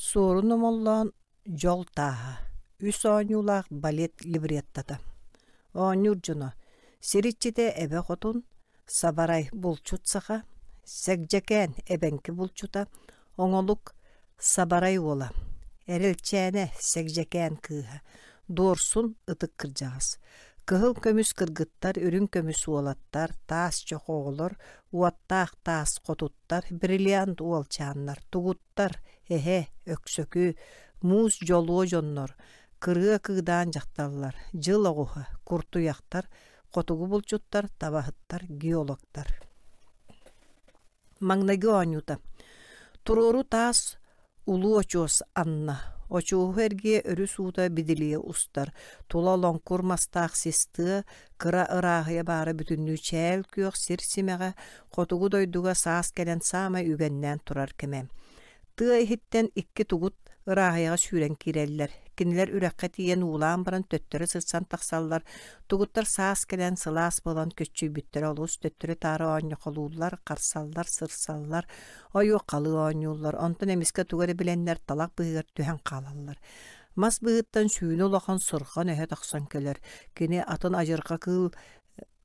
Суорун Омоллоон «Дьол тааһа» үс оонньуулаах балет либреттота. Оонньуур дьоно: Сир иччитэ Эбэ Хотун, Сабарай булчут саха, Сэгдьэкээн эбэҥки булчута, Оҥолук Сабарай уола, Эрэлчээнэ Сэгдьэкээн кыыһа, Дуорсун ытык кырдьаҕас, Кыһыл көмүс кыргыттар, үрүҥ көмүс уолаттар, таас чох оҕолор, уоттаах таас хотуттар, бриллиант уолчааннар, тугуттар, эһэ, өксөкү, муус дьолуо дьоннор, кырыа кыыдаан дьахталлар, дьыл оҕуһа, куртуйахтар, хотугу булчуттар, табаһыттар, геологтар. Маҥнайгы оонньуута. Туруору таас улуу очуос анна. Очуоһу эргийэ өрүс уута бидилийэ устар. Тула лоҥкур мастаах сис тыа, кыра ырааһыйа баара бүтүннүү чээл күөх сир симэҕэ, хотугу дойдуга саас кэлэн саамай үгэннээн турар кэмэ. Тыа иһиттэн икки тугут ырааһыйаҕа сүүрэн киирэллэр. Кинилэр үрэххэ тиийэн уулаан баран төттөрү сырсан тахсаллар. Тугуттар саас кэлэн сылаас буолан көччүйбүттэрэ олус төттөрү-таары оонньохолууллар, харсаллар, сырсаллар, ойуоххалыы оонньууллар. Онтон эмискэ тугу эрэ билэннэр талах быыһыгар түһэн хаалаллар. Мас быыһыттан сүүнэ улахан сурҕан өһө тахсан кэлэр. Кини атын адьырҕа кыыл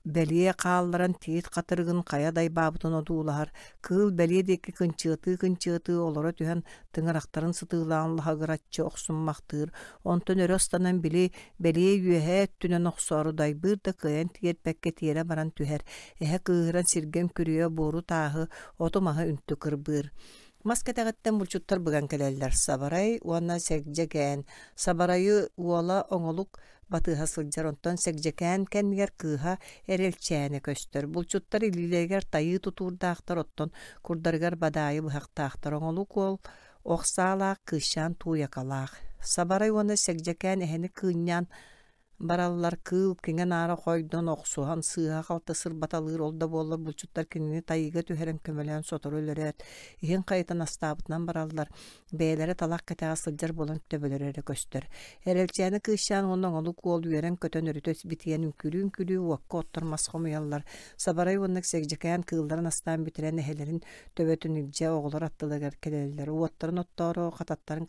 Бэлиэ хаалларан тиит хатырыгын хайа дайбаабытын одуулаһар, кыыл бэлиэ диэки кынчыатыы-кынчыатыы олоро түһэн тыҥырахтарын сытыылаан лаһыгыраччы охсуммахтыыр, онтон өрө ыстанан били бэлиэ үөһээ өттүнэн охсоору дайбыыр да кыайан тиэрпэккэ тиэрэ баран түһэр, эһэ кыыһыран сиргэ үҥкүрүйэ буору-тааһы, оту-маһы үнтү кырбыыр. Мас кэтэҕиттэн булчуттар быган кэлэллэр Сабарай уонна Сэгдьэкээн. Сабарайы уола Оҥолук батыһа сылдьар, онтон Сэгдьэкээн кэннигэр кыыһа Эрэлчээнэ көстөр. Булчуттар илиилэригэр тайыы тутуурдаахтар, оттон курдарыгар бадаайы быһахтаахтар. Оҥолук уол ох саалаах, кыысчаан тууйакалаах. Сабарай уонна Сэгдьэкээн эһэни кыынньаан бараллар кыыл киҥэ-наара хойдон, охсуһан, сыыһа-халты сырбаталыыр, ол да буоллар булчуттар кинини тайыыга түһэрэн көмөлөөн сотору өлөрөөт, иһин хайытан астаабытынан бараллар, бэйэлэрэ талах кэтэҕэ сылдьар буолан төбөлөрө эрэ көстөр. Эрэлчээнэ кыысчаан уонна оҥолук уол үөрэн-көтөн өрүтэ битийэн үҥкүүлүү-үҥкүүлүү уокка оттор мас хомуйаллар. Сабарай уонна Сэгдьэкээн кыылларын астаан бүтэрэн эһэлэрин төбөтүн илдьэ оҕолор аттыларыгар кэлэллэр. Уоттарын оттоору хататтарын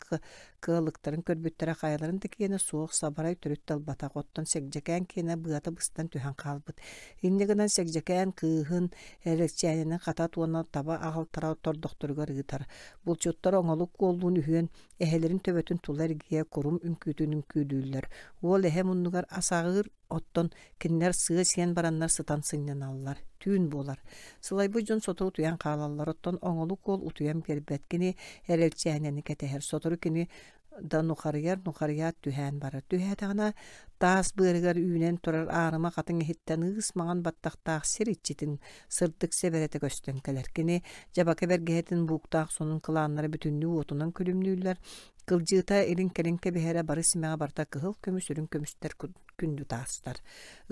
Кыалыктарын көрбүттэрэ хайаларын да киэнэ суох, сабарай төрүт да ылбатах, оттон Сэгдьэкээн киэнэ быата быстан түһэн хаалбыт. Инньэ гынан Сэгдьэкээн кыыһын, Эрэлчээнини хатат уонна таба аҕалтара тордохторугар ыытар. Булчуттар оҥолук уоллуун үһүөн эһэлэрин төбөтүн тула эргийэ курум үҥкүүтүн үҥкүүлүүллэр. Уол эһэ муннугар ас аҕыыр, Оттон кинилэр сыа сиэн бараннар сытан сынньаналлар. Түүн буолар. Сылайбыт дьон сотору утуйан хаалаллар, оттон оҥолук уол утуйан биэрбэт. Кини эрэлчээнэни кэтэһэр. Сотору кини да нухарыйар, нухарыйаат түһээн барар. Түһээтэҕинэ таас быарыгар үүнэн турар аарыма хатыҥ иһиттэн ыыс маҥан баттахтаах сир иччитин сырдык сэбэрэтэ көстөн кэлэр. Кини дьабака бэргэһэтин бууктаах сонун кылааннара бүтүннүү уотунан күлүмнүүллэр. Кылдьыыта илин-кэлин кэбиһэрэ бары симэҕэ барыта кыһыл көмүс, үрүҥ көмүстэр күндү таастар.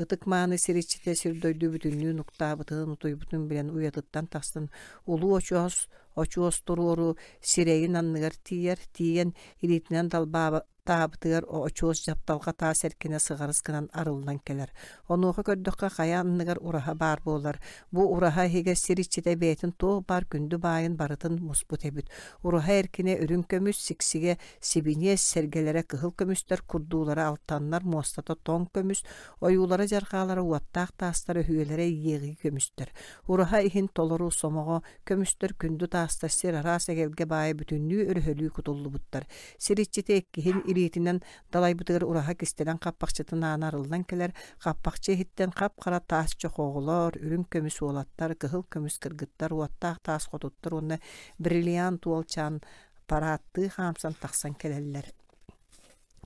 Ытык-мааны сир иччитэ сир-дойду бүтүннүү нуктаабытын, утуйбутун билэн уйатыттан тахсан улуу очуос, очуос туруору сирэйин анныгар тиийэр, тиийэн илиитинэн далбаабытыгар очуос дьапталҕа таас эркинэ сыҕарыс гынан арыллан кэлэр. Онуоха көрдөххө хайа анныгар ураһа баар буолар. Бу ураһа иһигэр сир иччитэ бэйэтин туох баар күндү баайын барытын муспут эбит. Ураһа эркинэ үрүҥ көмүс, сиксигэ Сибиниэс сэргэлэрэ кыһыл көмүстэр курдуулара алтаннар, муостата тоҥ көмүс, ойуулара-дьарҕаалара уоттаах таастар өһүөлэрэ иэҕии көмүстэр. Ураһа иһин толору сомоҕо көмүстэр күндү таастар сир араас эгэлгэ баайа бүтүннүү өрөһөлүү кутуллубуттар. Сир иччитэ иккиһин илиитинэн далайбытыгар ураһа кистэлэҥ хаппахчытын аана арыллан кэлэр, хаппахчы иһиттэн хап-хара таас чох оҕолор, үрүҥ көмүс уолаттар, кыһыл көмүс кыргыттар, уоттаах таас хотуттар уонна бриллиант уолчаан параадтыы хаамсан тахсан кэлэллэр.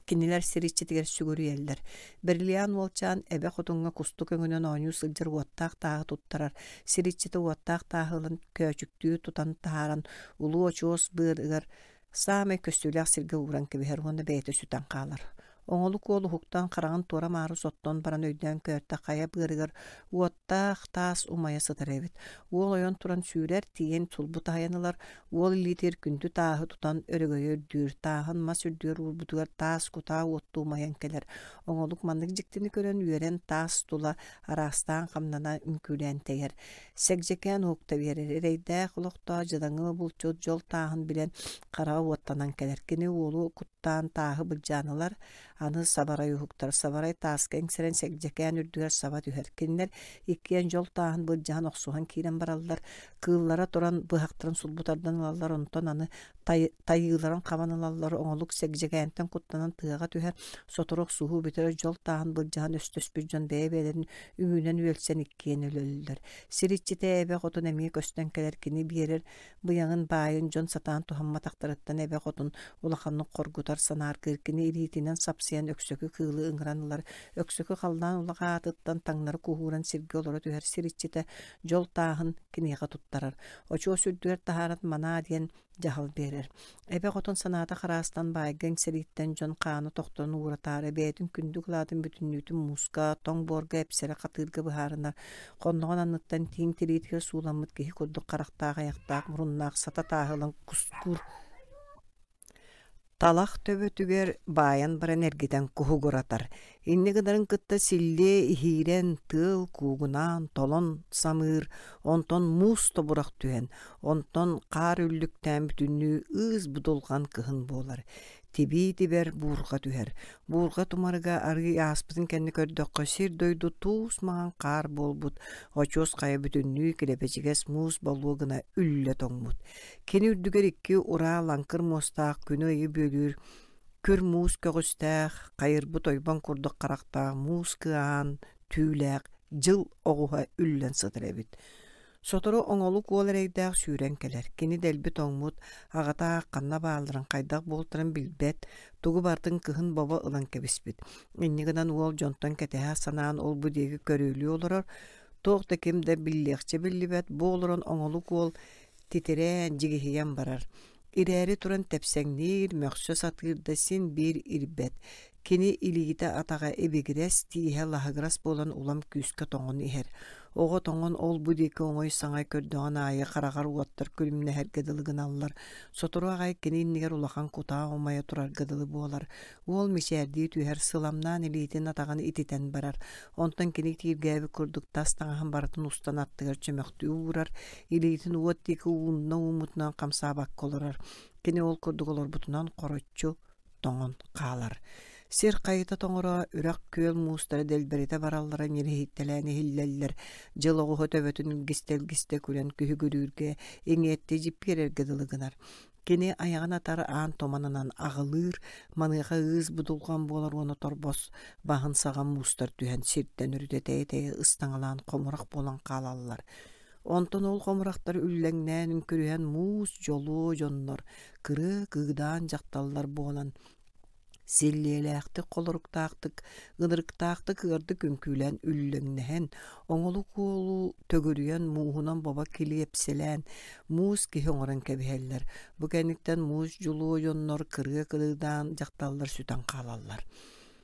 Кинилэр сир иччитигэр сүгүрүйэллэр. Бриллиант уолчаан эбэ хотуҥҥа кустук өҥүнэн оонньуу сылдьар уоттаах тааһы туттарар. Сир иччитэ уоттаах тааһы ылан көөчүктүү тутан таһааран улуу очуос быарыгар саамай көстүүлээх сиргэ ууран кэбиһэр уонна бэйэтэ сүтэн хаалар. Оҥолук уол уһуктан хараҕын туора-маары соттон баран өйдөөн көөртө хайа быарыгар уоттаах таас умайа сытар эбит. Уол ойон туран сүүрэр, тиийэн сулбу таһыйан ылар, уол илиитигэр күндү тааһы тутан өрөгөйө үрдүүр, тааһын мас үрдүгэр уурбутугар таас кутаа уоттуу умайан кэлэр. Оҥолук маннык дьиктини көрөн үөрэн таас тула араастаан хамнана үҥкүүлээн тэйэр. Сэгдьэкээн уһукта биэрэр, эрэйдээх олохтоох дьадаҥы булчут дьол тааһын билэн хараҕа уоттанан кэлэр. Кини уолу куттаан тааһы былдьаан ылар, аны сабарай уһуктар. Сабарай тааска иҥсэрэн Сэгдьэкээн үрдүгэр саба түһэр. Кинилэр иккиэн дьол тааһын былдьаһан охсуһан киирэн бараллар. Кыыллара туран быһахтарын сулбу тардан ылаллар, онтон аны тайыыларын хабан ылаллар. Оҥолук Сэгдьэкээнтэн куттанан тыаҕа түһэр. Сотору охсуһуу бүтэр, дьол тааһын былдьаһан өстөспүт дьон бэйэ-бэйэлэрин үҥүүнэн үөлсэн иккиэн өлөллөр. Сир иччитэ эбэ хотун эмиэ көстөн кэлэр, кини биэрэр быйаҥын баайын дьон сатаан туһамматахтарыттан эбэ хотун улаханнык хоргутар, санааргыыр. Кини илиитинэн сапсыйан өксөкү кыылы ыҥыран ылар. Өксөкү халлаан улаҕа аатыттан таҥнары куһууран сиргэ олоро түһэр сир иччитэ дьол тааһын киниэхэ туттарар. Очуос үрдүгэр таһааран манаа диэн дьаһал биэрэр. Эбэ хотун санаата хараастан баайга иҥсэрииттэн дьон хаана тохтон ууратаары бэйэтин күндү кылаатын бүтүннүүтүн мууска, тоҥ буорга эпсэрэ хатыырга быһаарынар. Хонноҕун анныттан тииҥ тириитигэр сууламмыт киһи курдук харахтаах айахтаах муруннаах сата тааһы ылан кускуур Талах төбөтүгэр баайан баран эргитэн куһугуратар, инньэ гынарын кытта силлиэ иһиирэн, тыал куугунаан, толон самыыр, онтон муус тобурах түһэн, онтон хаар үллүктээн бүтүннүү ыыс будулҕан кыһын буолар. Тибии тибэр буурҕа түһэр. Буурҕа тумарыга арыый ааспытын кэннэ көрдөххө, сир-дойду туус маҥан хаар буолбут, очуос хайа бүтүннүү килэбэчигэс муус болуо гына үллэ тоҥмут. Кини үрдүгэр икки ураа лаҥкыр муостаах күнү-ыйы бүөлүүр күр муус көҕүстээх, хайырбыт ойбон курдук харахтаах муус кыаһаан түүлээх дьыл оҕуһа үллэн сытар эбит. Сотору оҥолук уол эрэйдээх сүүрэн кэлэр. Кини дэлби тоҥмут, аҕата аах ханна баалларын, хайдах буолтарын билбэт, тугу барытын кыһын бобо ылан кэбиспит. Инньэ гынан уол дьонтон кэтэһэ санаан ол-бу диэки көрүөлүү олорор. Туох да ким да биллиэхчэ биллибэт, бу олорон оҥолук уол титирээн, дьигиһийэн барар. Ирээри туран тэпсэҥниир, мөхсө сатыыр да син биир ирбэт. Кини илиитэ-атаҕа ибигирэс, тииһэ лаһыгырас буолан улам күүскэ тоҥон иһэр. Оҕо тоҥон ол-бу диэки оҥой-саҥай көрдөҕүн аайы хараҕар уоттар күлүмнэһэргэ дылы гыналлар. Сотору аҕай кини иннигэр улахан кутаа умайа турарга дылы буолар. Уол мичээрдии түһэр, сыламнаан илиитин-атаҕын ититэн барар. Онтон кини тииргээбит курдук тас таҥаһын барытын устан аттыгар чөмөхтүү уурар, илиитин уот диэки уунна ууммутунан хамсаабакка олорор. Кини ол курдук олорбутунан хороччу тоҥон хаалар. Сир хайыта тоҥоро, үрэх күөл муустара дэлбэритэ бараллара ньириһийтэлээн иһиллэллэр. Дьыл оҕуһа төбөтүн илгистэ-илгистэ күлэн күһүгүрүүргэ, иҥиэттии дьиппиэрэргэ дылы гынар. Кини айаҕын атар аан туманынан аҕылыыр, маныаха ыыс будулҕан буолар уонна торбос баһын саҕа муустар түһэн сиртэн өрүтэ тэйэ-тэйэ ыстаҥалаан хомурах буолан хаалаллар. Онтон ол хомурахтар үллэҥнээн үҥкүрүһэн муус дьолуо дьоннор, кырыа кыыдаан дьахталлар буолан Силлиэлээхтик, холоруктаахтык, ынырыктаахтык ыардык үҥкүүлээн үллэҥнэһэн, оҥолук уолу төгүрүйэн мууһунан бобо килиэпсэлээн, муус киһи оҥорон кэбиһэллэр. Бу кэнниттэн муус дьулуо дьоннор кырыа кырыыдаан дьахталлар сүтэн хаалаллар.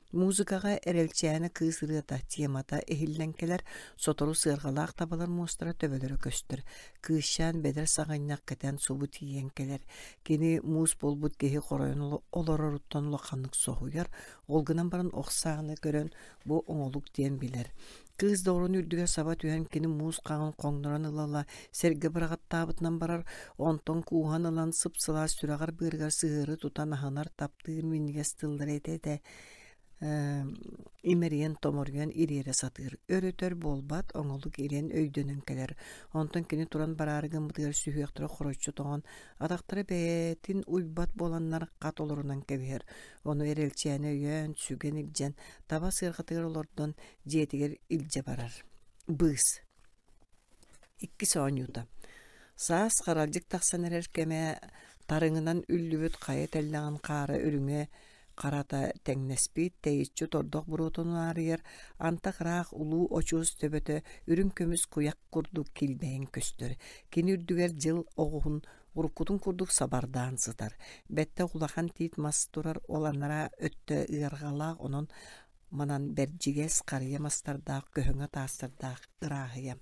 Музыкаҕа Эрэлчээнэ кыыс ырыата темата иһиллэн кэлэр, сотору сыарҕалаах табалар муостара төбөлөрө көстөр. Кыысчаан бэдэр саҕынньах кэтэн субу тиийэн кэлэр. Кини муус буолбут киһи хоройон олороруттан улаханнык соһуйар, ол гынан баран ох сааны көрөн бу оҥолук диэн билэр. Кыыс доҕорун үрдүгэр саба түһэн кини муус хаҕын хоҥнорон ыла-ыла сэргэ быраҕаттаабытынан барар, онтон кууһан ылан сып-сылаас сүрэҕэр-быарыгар сыһыары тутан аһынар, таптыыр минньигэс тыллары этэ-этэ имэрийэн-томоруйан ириэрэ сатыыр. Өр-өтөр буолбат, оҥолук ириэн өйдөнөн кэлэр. Онтон кини туран бараары гыммытыгар сүһүөхтэрэ хороччу тоҥон, атахтара бэйэтин уйбат буоланнар хат олорунан кэбиһэр. Ону Эрэлчээнэ өйөөн, сүгэн илдьэн, таба сыарҕатыгар олордон дьиэтигэр илдьэ барар. Быыс. Иккис оонньуута. Саас харалдьык тахсан эрэр кэмэ тарыҥынан үллүбүт хайа тэллэҕин хаара үрүҥэ харата тэҥнэспит, тэйиччи тордох буруотун унаарыйар, антах ыраах улуу очуос төбөтө үрүҥ көмүс куйах курдук килбэйэн көстөр. Кини үрдүгэр дьыл оҕуһун Уруккутун курдук сабардаан сытар. Бэттэх улахан тиит мас турар, ол анараа өттө ыарҕалаах, онон манан бэрдьигэс харыйа мастардаах, көһөҥө таастардаах ырааһыйа.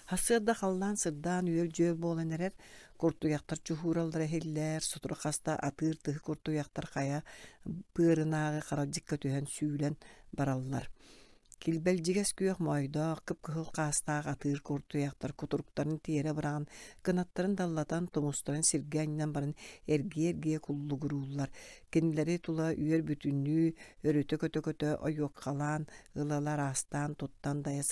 Сарсыарда халлаан сырдаан үөл-дьүөл буолан эрэр, куртуйахтар чуһуураллара иһиллэр, сотору хаста атыыр тыһы куртуйахтар хайа быарынааҕы харалдьыкка түһэн сүүлэн бараллар. Килбэлдьигэс күөх моойдоох, кып-кыһыл хаастаах атыыр куртуйахтар кутуруктарын тиэрэ быраҕан, кынаттарын даллатан, тумустарын сиргэ анньан баран эргийэ-эргийэ куллугурууллар. Кинилэри тула үөр бүтүннүү өрүтэ көтө-көтө ойуоккалаан, ыла-ыла араастаан туттан дайа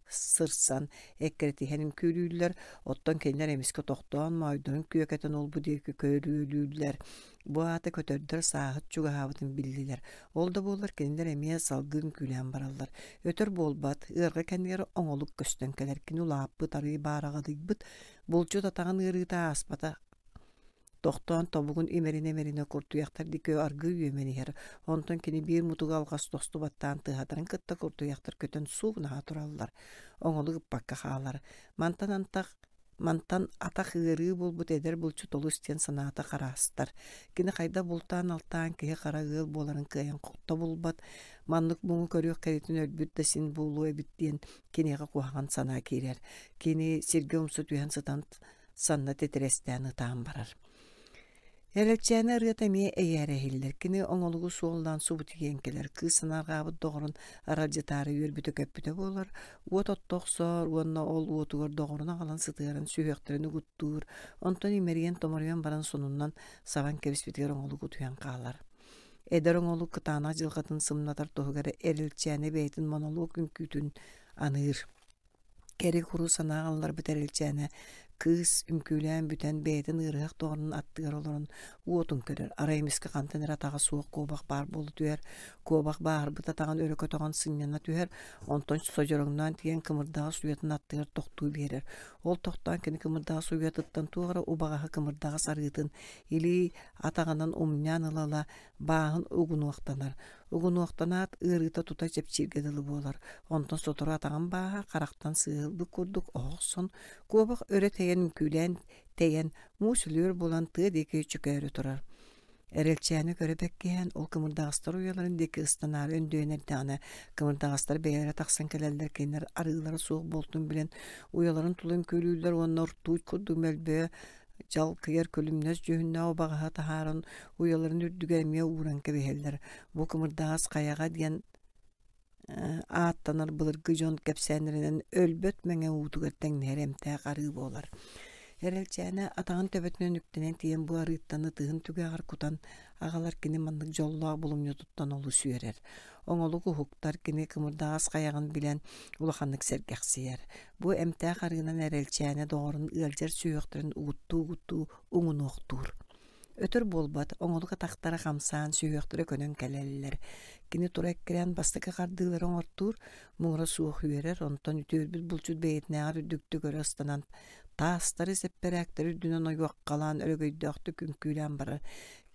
сырсан, эккирэтиһэн үҥкүүлүүллэр, оттон кинилэр эмискэ тохтоон, моойдорун күөкэтэн ол-бу диэки көрүөлүүллэр. Бу аата көтөрдөр сааһыт чугаһаабытын биллилэр. Ол да буоллар кинилэр эмиэ салгыы үҥкүүлээн бараллар. Өтөр буолбат, ыарҕа кэннигэр оҥолук көстөн кэлэр. Кини улааппыт, арыый баараҕадыйбыт, булчут атаҕын ыарыыта ааспата Тохтоон тобугун имэринэ-имэринэ куртуйахтар диэки аргыый үөмэн иһэр, онтон кини биир мутуга алҕас тосту баттаан тыаһатарын кытта куртуйахтар көтөн суугунаһа тураллар, оҥолук ыппакка хаалар. Мантан антах Мантан атах ыарыы буолбут эдэр булчут олус диэн санаата хараастар. Кини хайдах бултаан-алтаан киһи хара ыал буоларын кыайан тобулбат, маннык муҥу көрүөх кэритин өлбүт да син буолуо эбит диэн киниэхэ куһаҕан санаа киирэр. Кини сиргэ умса түһэн сытан санна титирэстээн ытаан барар. Эрэлчээнэ ырыата эмиэ эйээрэ иһиллэр. Кини оҥолугу суоллаан субутуйан кэлэр. Кыыс санаарҕаабыт доҕорун аралдьытаары үөрбүтэ-көппүтэ буолар. Уот отто охсор уонна ол уотугар доҕорун аҕалан сытыаран сүһүөхтэрин угуттуур. Онтон имэрийэн-томоруйан баран сонуннан сабан кэбиспитигэр оҥолук утуйан хаалар. Эдэр оҥолук кытаанах дьылҕатын сымнатар туһугар Эрэлчээнэ бэйэтин монолуок үҥкүүтүн аныыр. Кэри-куру санаа ылларбыт Эрэлчээнэ кыыс үҥкүүлээн бүтэн бэйэтин ыарыһах доҕорун аттыгар олорон уотун көрөр, арай эмискэ хантан эрэ атаҕа суох куобах баар буола түһэр, куобах бааһырбыт атаҕын өрө көтөҕөн сынньана түһэр, онтон содьороҥноон тиийэн кымырдаҕас уйатын аттыгар тохтуу биэрэр. Ол тохтоон кини кымырдаҕас уйатыттан туох эрэ убаҕаһы кымырдаҕас арыытын илии атаҕынан умньаан ыла-ыла бааһын угунуохтанар. Угунуохтанаат, ыарыыта тута чэпчииргэ дылы буолар. Онтон сотору атаҕын бааһа харахтан сыыһылбыт курдук оһох охсон, куобах өрө тэйэн үҥкүүлээн тэйэн, муус үлүөр буолан тыа диэки чөкөөрү турар. Эрэлчээни көрө бэккиһэн, ол кымырдаҕастар уйаларын диэки ыстанаары өндөйөн эрдэҕинэ, кымырдаҕастар бэйэлэрэ тахсан кэлэллэр, кинилэр арыылара суох буолтун билэн, уйаларын тула үҥкүүлүүллэр уонна ртуть курдук мөлбөйө дьалкыйар күлүмнэс дьүһүннээх убаҕаһы таһааран уйаларын үрдүгэр эмиэ ууран кэбиһэллэр. Бу кымырдаҕас хайаҕа диэн ааттанар былыргы дьон кэпсээннэринэн өлбөт мэҥэ уутугар тэҥнэһэр эмтээх арыы буолар. Эрэлчээнэ атаҕын төбөтүнэн үктэнэн тиийэн бу арыыттан ытыһын түгэҕэр кутан аҕалар кини маннык дьоллоох булумньутуттан олус үөрэр. Оҥолук уһуктар кини кымырдаҕас хайаҕын билэн улаханнык сэргэхсийэр. Бу эмтээх арыынан Эрэлчээнэ доҕорун ыалдьар сүһүөхтэрин угуттуу-угуттуу уҥунуохтуур. Өтөр буолбат, оҥолук атахтара хамсаан, сүһүөхтэрэ көнөн кэлэллэр. Кини тура эккирээн бастакы хардыылары оҥортуур, муҥура суох үөрэр, онтон үтүөрбүт булчут бэйэтинээҕэр үрдүктүк өрө ыстанан, таастары, сэппэрээктэри үрдүнэн ойуоххалаан өрөгөйдөөхтүк үҥкүүлээн барар.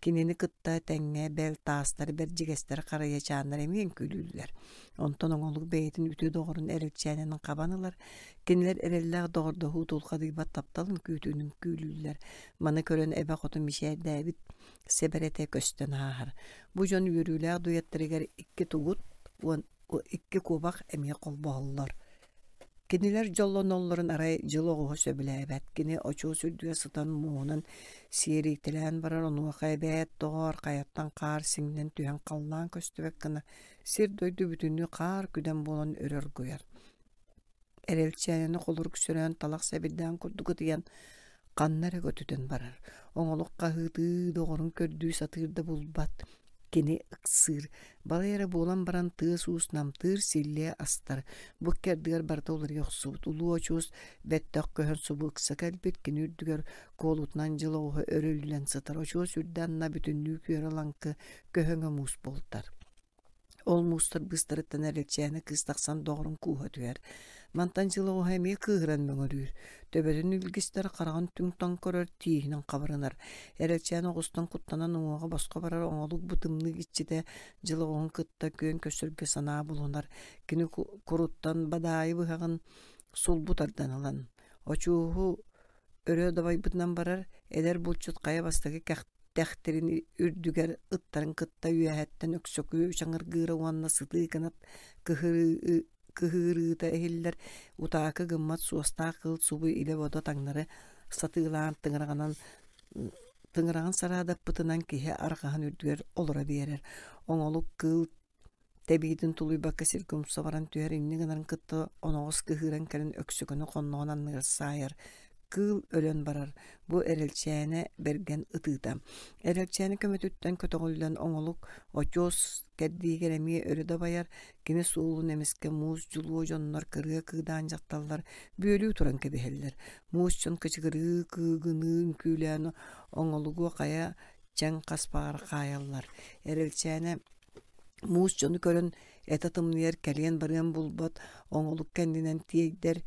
Кинини кытта тэҥҥэ бэл таастар, бэрдьигэстэр, харайачааннар эмиэ үҥкүүлүүллэр. Онтон оҥолук бэйэтин үтүө доҕорун Эрэлчээнин хабан ылар. Кинилэр эрэллээх доҕордоһуу тулхадыйбат таптал үҥкүүтүн үҥкүүлүүллэр. Маны көрөн эбэ хотун мичээрдээбит сэбэрэтэ көстөн ааһар. Бу дьон үөрүүлээх дуэттарыгар икки тугут уон икки куобах эмиэ холбоһоллор. Кинилэр дьоллоноллорун арай дьыл оҕуһа сөбүлээбэт. Кини очуос үрдүгэр сытан муоһунан сиэрийтэлээн барар, онуоха эбээт, доҕоор, хайаттан хаар сиҥнэн түһэн халлаан көстүбэт гына сир-дойду бүтүннүү хаар күдэн буолан өрө оргуйар. Эрэлчээнэни холорук сөрөөн талах сэбирдээн курдук ытыйан ханна эрэ көтүтэн барар. Оҥолук хаһыытыы доҕорун көрдүү сатыыр да булбат. Кини ыксыыр. Балай эрэ буолан баран тыас-уус намтыыр, силлиэ астар. Бу икки ардыгар барыта уларыйа охсубут. Улуу очуос бэттэх көһөн субу ыкса кэлбит. Кини үрдүгэр куолутунан дьыл оҕуһа өрүллэн сытар. Очуос үрдэ анна бүтүннүү күөрэ-лаҥкы көһөҥө муус буолтар. Ол муустар быыстарыттан Эрэлчээнэ кыыс тахсан доҕорун кууһа түһэр. Мантан дьыл оҕуһа эмиэ кыыһыран мөҥөрүүр. Төбөтүн илгистэр, хараҕын түҥ-таҥ көрөр, тииһинэн хабырынар. Эрэлчээн оҕустан куттанан уҥуоҕа босхо барар оҥолук бу тымныы иччитэ дьыл оҕуһун кытта күөн көрсөргө санаа булунар. Кини куруттан бадаайы быһаҕын сулбу тардан ылан, очуоһу Өрө дабайбытынан барар, эдэр булчут хайа бастакы кэхтэхтэрин үрдүгэр ыттарын кытта үөһэттэн өксөкүү чаҥыргыыра уонна сытыы кынат кыһыырыыта иһиллэр, утаакы гыммат суостаах кыыл субу илэ-бодо таҥнары сатыылаан тыҥыраҕынан тыҥыраҕын сараадаппытынан киһи арҕаһын үрдүгэр олоро биэрэр. Оҥолук кыыл Тэбиитин тулуйбакка сиргэ умса баран түһэр инньэ гынарын кытта оноҕос кыһыыран кэлэн өксөкөнү хонноҕун анныгар саайар, кыыл өлөн барар, бу Эрэлчээнэ бэргэн ытыыта. Эрэлчээнэ көмөтүттэн көтөҕүллэн оҥолук очуос кэрдиигэр эмиэ өрө дабайар, кини суолун эмискэ муус дьулуо дьоннор кырыа кыыдаан дьахталлар бүөлүү туран кэбиһэллэр. Муус дьон кычыгырыы кыыгыныы үҥкүүлээн оҥолугу хайа чэҥ хаспаҕар хаайаллар. Эрэлчээнэ Муус дьону көрөн этэ тымныйар, кэлиэн-барыан булбат, оҥолук кэннинэн тиэйдэр,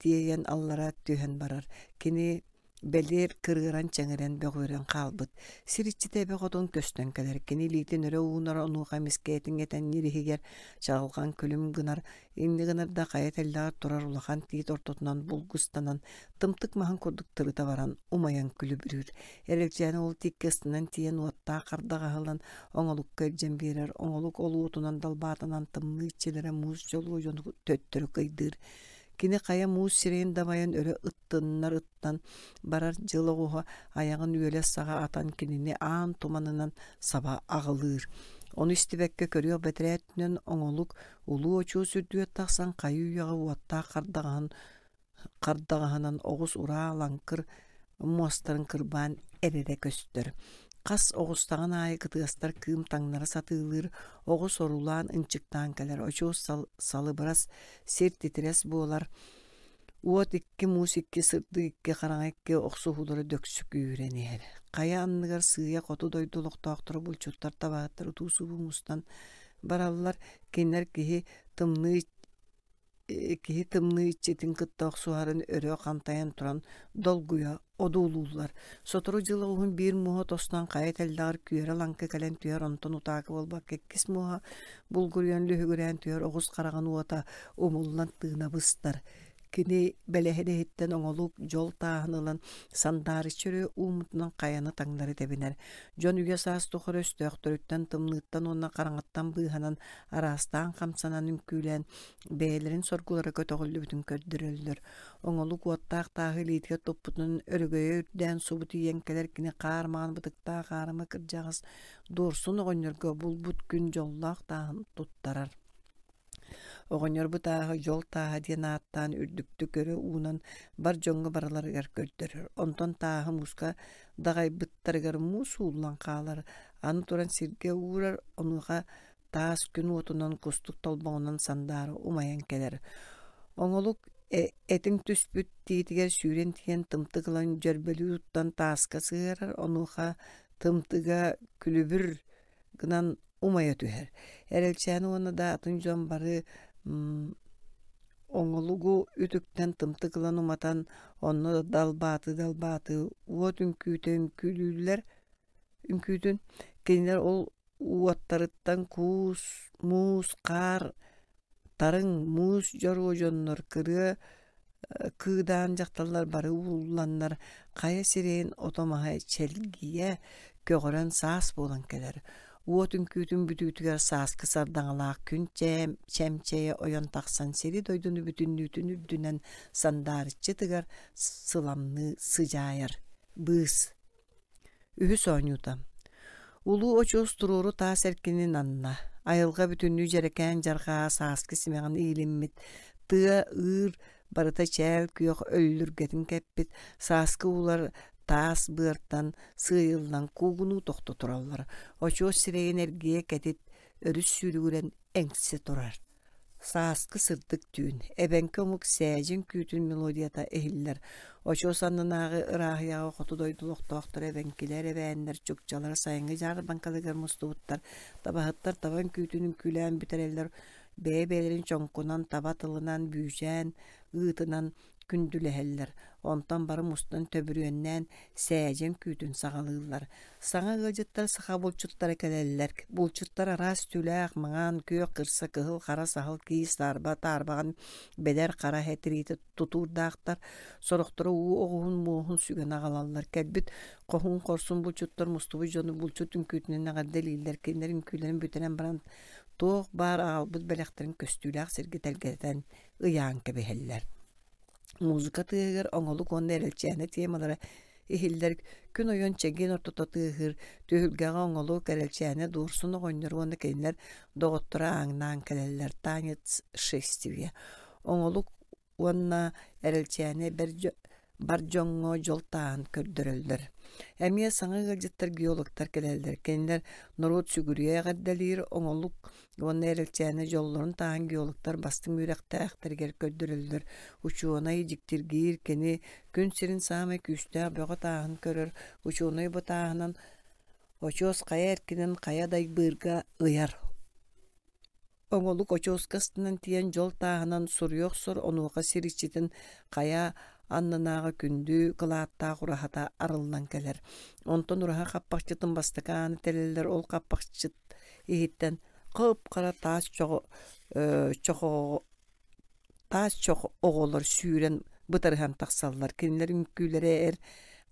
тиэйэн аллара түһэн барар. Кини бэлиэр кырыаран-чэҥирэн бөҕүөрэн хаалбыт. Сир иччитэ эбэ хотун көстөн кэлэр. Кини илиитин өрө уунар, онуоха эмискэ этиҥ этэн иһигэр чаҕылҕан күлүм гынар, инньэ гынар да хайа тэллэҕэр турар улахан тиит ортотунан булгустанан, тымтык маһын курдук тырыта баран умайан күлүбүрүүр. Эрэлчээнэ ол тииккэ ыстанан тиийэн уоттаах хардаҕа аһыллан оҥолукка илдьэн биэрэр. Оҥолук ол уотунан далбаатанан тымныы иччилэрэ муус дьолуо дьону төттөрү кыйдыыр. Кини хайа муус сирэйин дабайан өрө ыттыннар ыттан барар дьыл оҕуһа айаҕын үөлэс саҕа атан кинини аан туманынан саба аҕылыыр. Ону истибэккэ көрүөх бэтэрээ өттүнэн оҥолук улуу очуос үрдүгэр тахсан хайыы-үйэҕэ уоттаах хардаҕаһын хардаҕаһынан оҕус ураа лаҥкыр муостарын кырбаан эрэрэ көстөр. Хас оҕустаҕын аайы кытыастар кыым таҥнара сатыылыыр, оҕус орулаан ынчыктаан кэлэр, очуос салыбырас, сир титирэс буолар, уот икки муус икки сырдык икки хараҥа икки охсуһуулара дөксү күүһүрэн иһэр. Хайа анныгар сыыйа хоту дойду олохтоохторо булчуттар табаһыттар утуу-субуу мустан бараллар, кинилэр киһи тымныы киһи тымныы иччитин кытта охсуһарын өрө хантайан туран долгуйа одуулууллар. Сотору дьыл оҕуһун биир муоһа тостон хайа тэллэҕэр күөрэ-лаҥкы кэлэн түһэр, онтон утаакы буолбакка иккис муоһа булгуруйан лүһүгүрээн түһэр оҕус хараҕын уота умуллан тыына быстар. Кини бэлэһин иһиттэн оҥолук дьол тааһын ылан сандаарыччы өрө ууммутунан хайаны таҥнары тэбинэр. Дьон үйэ-саас тухары өстөөхтөрүттэн, тымныыттан уонна хараҥаттан быыһанан араастаан хамсанан үҥкүүлээн бэйэлэрин соргулара көтөҕүллүбүтүн көрдөрөллөр. Оҥолук уоттаах тааһы илиитигэр туппутунан өрөгөйө үрдээн субу тиийэн кэлэр кини хаар маҥан бытыктаах аарыма кырдьаҕас Дуорсун оҕонньорго булбут күн дьоллоох тааһын туттарар. Оҕонньор бу тааһы дьол тааһа диэн ааттаан үрдүктүк өрө уунан бар дьоҥҥо барыларыгар көрдөрөр. Онтон тааһы мууска даҕайбыттарыгар муус ууллан хаалар, аны туран сиргэ уурар, онуоха таас күн уотунан кустук толбоҕунан сандаара умайан кэлэр. Оҥолук этиҥ түспүт тиитигэр сүүрэн тиийэн тымтык ылан дьөрбөлүү туттан тааска сыһыарар, онуоха тымтыга күлүбүр гынан умайа түһэр. Эрэлчээн уонна да атын дьон бары оҥолугу үтүктэн тымтык ылан уматан, онно далбааты-далбааты уот үҥкүүтэ үҥкүүлүүллэр үҥкүүтүн кинилэр ол уоттарыттан куус, муус, хаар, тарыҥ, муус дьоруо дьоннор кырыа кыыдаан дьахталлар бары уулланнар хайа сирэйин ото-маһа чэлгийэ көҕөрөн саас буолан кэлэр. Уот үҥкүүтүн бүтүүтүгэр сааскы сардаҥалаах күн чэмчэйэ ойон тахсан сири-дойдуну бүтүннүүтүн үрдүнэн сандаарыччы тыгар сыламныы сыдьаайар. Быыс Үһүс оонньуута. Улуу очуос туруору таас эркинин анна, айылҕа бүтүннүү дьэрэкээн дьарҕаа сааскы симэҕин иилиммит, тыа, ыыр барыта чээл күөх өллүргэтин кэппит, сааскы уулар таас быартан сыыйыллан куугунуу тохто тураллар, очуос сирэйин эргийэ кэтит, өрүс сүүрүгүрэн эҥсэ турар. Сааскы сырдык түүн, эбэҥки омук сээдьин күүтүн мелодията иһиллэр. Очуос аннынааҕы ырааһыйаҕа хоту дойду олохтоохторо эбэҥкилэр, эбээннэр, чукчалар сайыҥҥы дьаарбаҥкаларыгар мустубуттар, табаһыттар таба үҥкүүтүн үҥкүүлээн бүтэрэллэр, бэйэ-бэйэлэрин чоҥкунан, таба тылынан, бүүчээн ыытынан. күндүлэһэллэр, онтон бары мустан төбүрүөннээн сээдьэн күүтүн саҕалыыллар. Саҥа ыалдьыттар саха булчуттара кэлэллэр. Булчуттар араас түүлээх, маҥан, күөх, кырса, кыһыл, хара саһыл, киис, таарба, таарбаҕан, бэдэр, хара эһэ тириитэ тутуурдаахтар. Сорохторо уу оҕуһун муоһун сүгэн аҕалаллар. Кэлбит хоһуун хорсун булчуттар мустубут дьону булчут үҥкүүтүнэн эҕэрдэлииллэр. Кинилэр үҥкүүлэрин бүтэрэн баран туох баар аҕалбыт бэлэхтэрин көстүүлээх сиргэ тэлгэтэн ыйаан кэбиһэллэр. Музыка тыаһыгар оҥолук уонна эрэлчээнэ темалара иһиллэр, күн ойон чэгиэн ортото тыаһыыр, түһүлгэҕэ оҥолук, эрэлчээнэ Дуорсун оҕонньор уонна кинилэр доҕотторо ааҥнаан кэлэллэр танец шествия. Оҥолук уонна эрэлчээнэ бар дьоҥҥо дьол тааһын көрдөрөллөр. Эмиэ саҥа ыалдьыттар геологтар кэлэллэр. Кинилэр норуот сүгүрүйэ эҕэрдэлиир оҥолук уонна эрэлчээнэ дьоллорун тааһын геологтар бастыҥ үөрэхтээхтэригэр көрдөрөллөр. Учуонай дьиктиргиир кини күн сирин саамай күүстээх бөҕө тааһын көрөр. Учуонай бу тааһынан очуос хайа эркинин хайа дайбыырга ыйар. Оҥолук очуоска астынан тиийэн дьол тааһынан суруйа охсор, онуоха сир иччитин хайа аннынааҕы күндү кылааттаах ураһата арыллан кэлэр. Онтон ураһа хаппахчытын бастакы ааны тэлэллэр, ол хаппахчыт иһиттэн хып-хара таас чоҕо чохоҕо Таас чох оҕолор сүүрэн бытарыһан тахсаллар, кинилэр үҥкүүлэрэ эр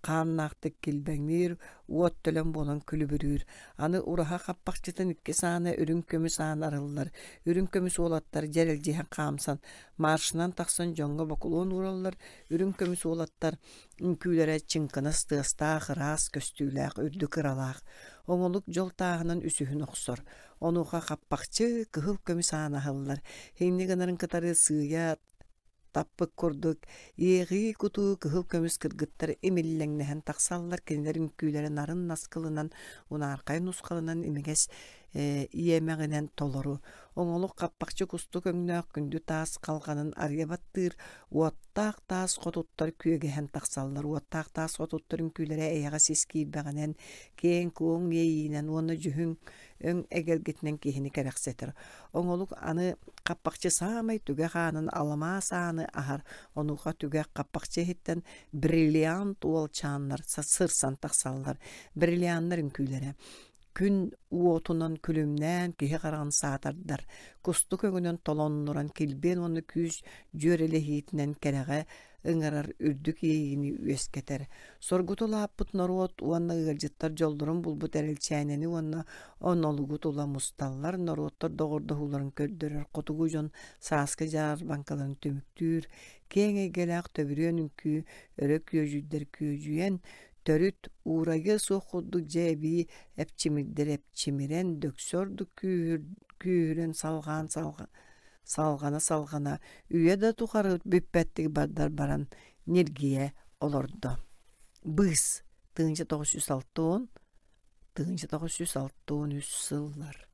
хааннаахтык килбэҥниир, уот төлөн буолан күлүбүрүүр. Аны ураһа хаппахчытын иккис аана үрүҥ көмүс аан арыллар. Үрүҥ көмүс уолаттар дьэрэлдьиһэн хаамсан, маршынан тахсан дьоҥҥо бокулуон уураллар. Үрүҥ көмүс уолаттар үҥкүүлэрэ чыҥкынас тыастаах, ыраас көстүүлээх, үрдүк ыралаах. Оҥолук дьол тааһынан үсүһүн охсор. Онуоха хаппахчы кыһыл көмүс аан аһыллар. Инньэ гынарын кытары сыыйа таппыт курдук иэҕии-кутуу кыһыл көмүс кыргыттар имиллэҥнэһэн тахсаллар. Кинилэр үҥкүүлэрэ нарын наскылынан, унаархай нусхалынан имигэс иэмэҕинэн толору. Оҥолук хаппахчы кустук өҥнөөх күндү таас халҕанын арыйа баттыыр, уоттаах таас хотуттар күөгэһэн тахсаллар. Уоттаах таас хотуттар үҥкүүлэрэ эйэҕэс ис киирбэҕинэн, киэҥ-куоҥ иэйиинэн уонна дьүһүн өҥ эгэлгэтинэн киһини кэрэхсэтэр. Оҥолук аны хаппахчы саамай түгэх аанын аламаас ааны аһар, онуоха түгэх хаппахчы иһиттэн бриллиант уолчааннар сырсан тахсаллар. Бриллианнар үҥкүүлэрэ күн уотунан күлүмнээн киһи хараҕын саатардар, кустук өҥүнэн толоннуран килбиэн уонна күүс дьүөрэлэһиитинэн кэрэҕэ ыҥырар үрдүк иэйиини үөскэтэр. Соргуту улааппыт норуот уонна ыалдьыттар дьоллорун булбут эрэлчээнэни уонна онолугу тула мусталлар, норуоттар доҕордоһууларын көрдөрөр хотугу дьон сааскы дьаарбаҥкаларын түмүктүүр, киэҥ эйгэлээх төбүрүөн үҥкүү өрө күөдьүйдэр күөдьүйэн, төрүт уурайыа суох курдук дьэ эбии эпчимирдэр эпчимирэн, дөксө ордук күүһүрэн салҕаан салҕана-салҕана үйэ да тухары бүппэттик бардар баран ньиргийэ олордо. Быыс 1960 1963 сыллар.